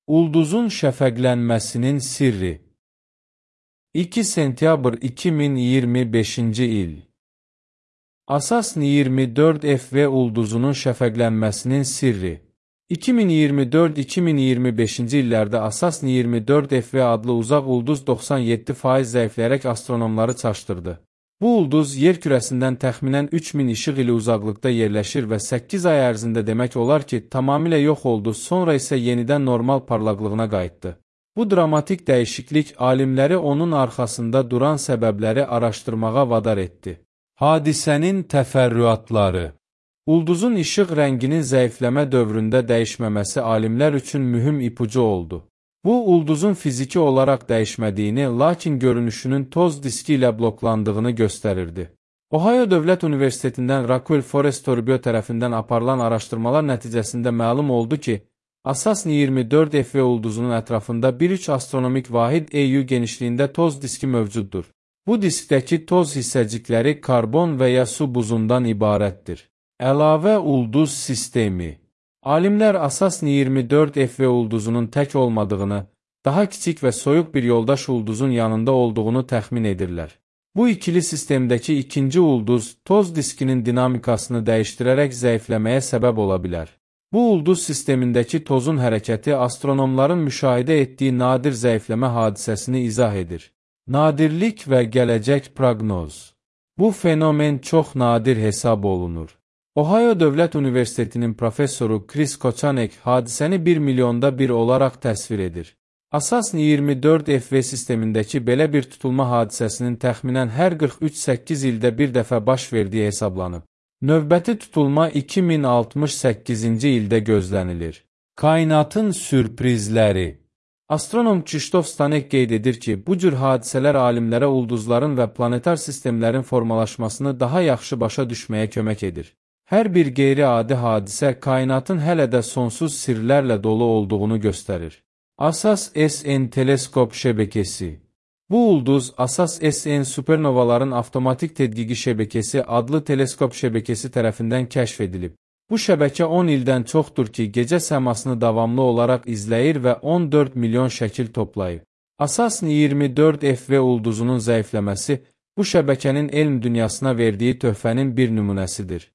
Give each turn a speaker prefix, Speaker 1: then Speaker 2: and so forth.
Speaker 1: Ulduzun şəfəqlənməsinin sirri. 2 sentyabr 2025-ci il. Asas 24F ulduzunun şəfəqlənməsinin sirri. 2024-2025-ci illərdə Asas 24F adlı uzaq ulduz 97% zəifləyərək astronomları çaşdırdı. Bu ulduz yer kürəsindən təxminən 3000 işıq ili uzaqlıqda yerləşir və 8 ay ərzində demək olar ki, tamamilə yox oldu, sonra isə yenidən normal parlaqlığına qayıtdı. Bu dramatik dəyişiklik alimləri onun arxasında duran səbəbləri araşdırmağa vadar etdi. Hadisənin təfərrüatları. Ulduzun işıq rənginin zəifləmə dövründə dəyişməməsi alimlər üçün mühüm ipucu oldu. Bu, ulduzun fiziki olaraq dəyişmədiyini, lakin görünüşünün toz diski ilə bloklandığını göstərirdi. Ohio Dövlət Universitetindən Rockwell Forest Torbio tərəfindən aparılan araşdırmalar nəticəsində məlum oldu ki, Asas 24F ulduzunun ətrafında bir üç astronomik vahid EU genişliyində toz diski mövcuddur. Bu diskdəki toz hissəcikləri karbon və ya su buzundan ibarətdir. Əlavə ulduz sistemi. Alimlər Asas 24F ulduzunun tək olmadığını, daha kiçik və soyuq bir yoldaş ulduzun yanında olduğunu təxmin edirlər. Bu ikili sistemdəki ikinci ulduz toz diskinin dinamikasını dəyişdirərək zəifləməyə səbəb ola bilər. Bu ulduz sistemindəki tozun hərəkəti astronomların müşahidə etdiyi nadir zəifləmə hadisəsini izah edir. Nadirlik və gələcək proqnoz. Bu fenomen çox nadir hesab olunur. Ohio Dövlət Universitetinin professoru Chris Kochanek hadisəni 1 milyonda bir olaraq təsvir edir. Asas 24F sistemindəki belə bir tutulma hadisəsinin təxminən hər 43-8 ildə bir dəfə baş verdiyi hesablanıb. Növbəti tutulma 2068-ci ildə gözlənilir. Kainatın sürprizləri. Astronom Krzysztof Stanek qeyd edir ki, bu cür hadisələr alimlərə ulduzların və planetar sistemlərin formalaşmasını daha yaxşı başa düşməyə kömək edir. Hər bir qeyri-adi hadisə kainatın hələ də sonsuz sirlərlə dolu olduğunu göstərir. Asas SN teleskop şəbəkəsi. Bu ulduz Asas SN supernovaların avtomatik tədqiqi şəbəkəsi adlı teleskop şəbəkəsi tərəfindən kəşf edilib. Bu şəbəkə 10 ildən çoxdur ki, gecə səmasını davamlı olaraq izləyir və 14 milyon şəkil toplayıb. Asas 24F ulduzunun zəifləməsi bu şəbəkənin elm dünyasına verdiyi töhfənin bir nümunəsidir.